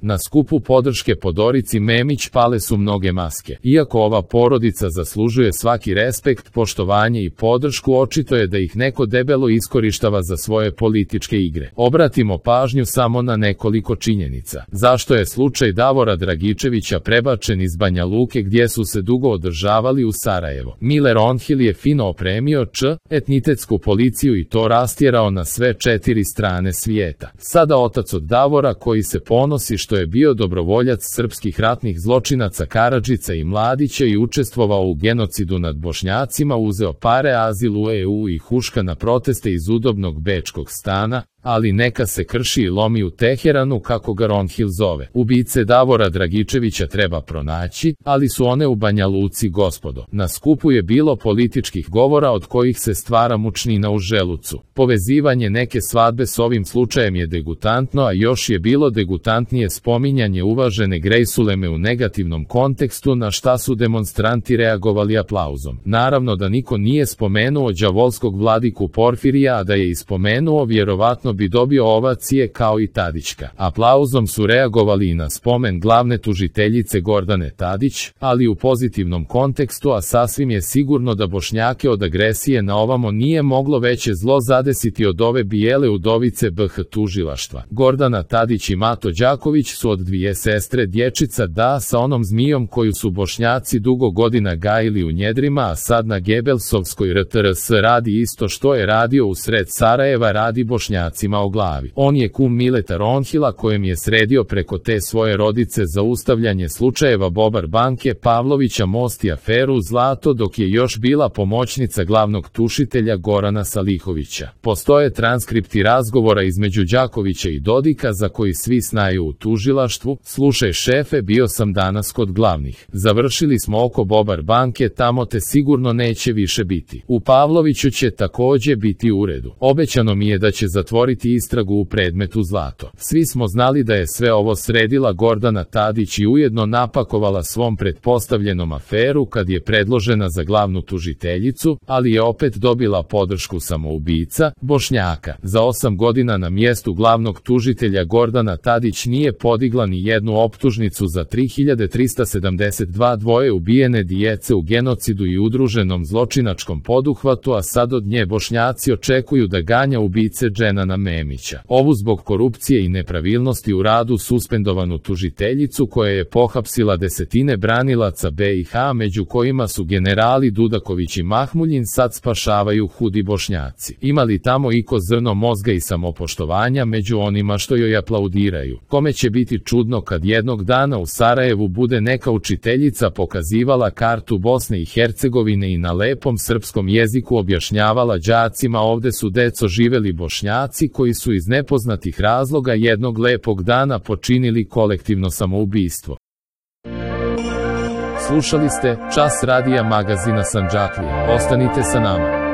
Na skupu podrške Podorici Memić pale su mnoge maske. Iako ova porodica zaslužuje svaki respekt, poštovanje i podršku, očito je da ih neko debelo iskorištava za svoje političke igre. Obratimo pažnju samo na nekoliko činjenica. Zašto je slučaj Davora Dragičevića prebačen iz Banja Luke gdje su se dugo održavali u Sarajevo? Mile Ronhill je fino opremio etnitetsku policiju i to rastjerao na sve 4 strane svijeta. Sada otac od Davora, koji se ponosi što je bio dobrovoljac srpskih ratnih zločinaca Karadžića i Mladića i učestvovao u genocidu nad Bošnjacima, uzeo pare, azil u EU i huška na proteste iz udobnog bečkog stana, ali neka se krši i lomi u Teheranu, kako ga Ronhill zove. Ubice Davora Dragičevića treba pronaći, ali su one u Banja Luci, gospodo. Na skupu je bilo političkih govora od kojih se stvara mučnina u želucu. Povezivanje neke svadbe s ovim slučajem je degutantno, a još je bilo degutantnije spominjanje uvažene Grejsuleme u negativnom kontekstu, na šta su demonstranti reagovali aplauzom. Naravno da niko nije spomenuo đavolskog vladiku Porfirija, a da je ispomenuo, vjerovatno bi dobio ovacije kao i Tadićka. Aplauzom su reagovali i na spomen glavne tužiteljice Gordane Tadić, ali u pozitivnom kontekstu, a sasvim je sigurno da Bošnjake od agresije na ovamo nije moglo veće zlo zadesiti od ove bijele udovice BH tužilaštva. Gordana Tadić i Mato Đaković su od dvije sestre dječica, da, sa onom zmijom koju su Bošnjaci dugo godina gajili u njedrima, a sad na Gebelsovskoj RTRS radi isto što je radio u sred Sarajeva, radi Bošnjacima o glavi. On je kum Mileta Ronhilla, kojem je sredio preko te svoje rodice zaustavljanje slučajeva Bobar banke, Pavlovića, Most i aferu Zlato, dok je još bila pomoćnica glavnog tužitelja Gorana Salihovića. Postoje transkripti razgovora između Đakovića i Dodika za koji svi znaju u tužilaštvu. Slušaj šefe, bio sam danas kod glavnih. Završili smo oko Bobar banke, tamo te sigurno neće više biti. U Pavloviću će također biti u uredu. Obećano mi je da će zatvoriti istragu u predmetu Zlato. Svi smo znali da je sve ovo sredila Gordana Tadić i ujedno napakovala svom pretpostavljenom aferu kad je predložena za glavnu tužiteljicu, ali je opet dobila podršku samoubica, Bošnjaka. Za 8 godina na mjestu glavnog tužitelja Gordana Tadić nije podigla ni jednu optužnicu za 3372 dvoje ubijene djece u genocidu i udruženom zločinačkom poduhvatu, a sad od nje Bošnjaci očekuju da ganja ubice Dženana Memića. Ovu zbog korupcije i nepravilnosti u radu suspendovanu tužiteljicu, koja je pohapsila desetine branilaca BiH, među kojima su generali Dudaković i Mahmuljin, sad spašavaju hudi Bošnjaci. Ima li tamo iko zrno mozga i samopoštovanja među onima što joj aplaudiraju? Kome će biti čudno kad jednog dana u Sarajevu bude neka učiteljica pokazivala kartu Bosne i Hercegovine i na lepom srpskom jeziku objašnjavala đacima: ovde su deco živeli Bošnjaci koji su iz nepoznatih razloga jednog lepog dana počinili kolektivno samoubistvo. Slušali ste Čas radija magazina Sandžaklija. Ostanite sa nama.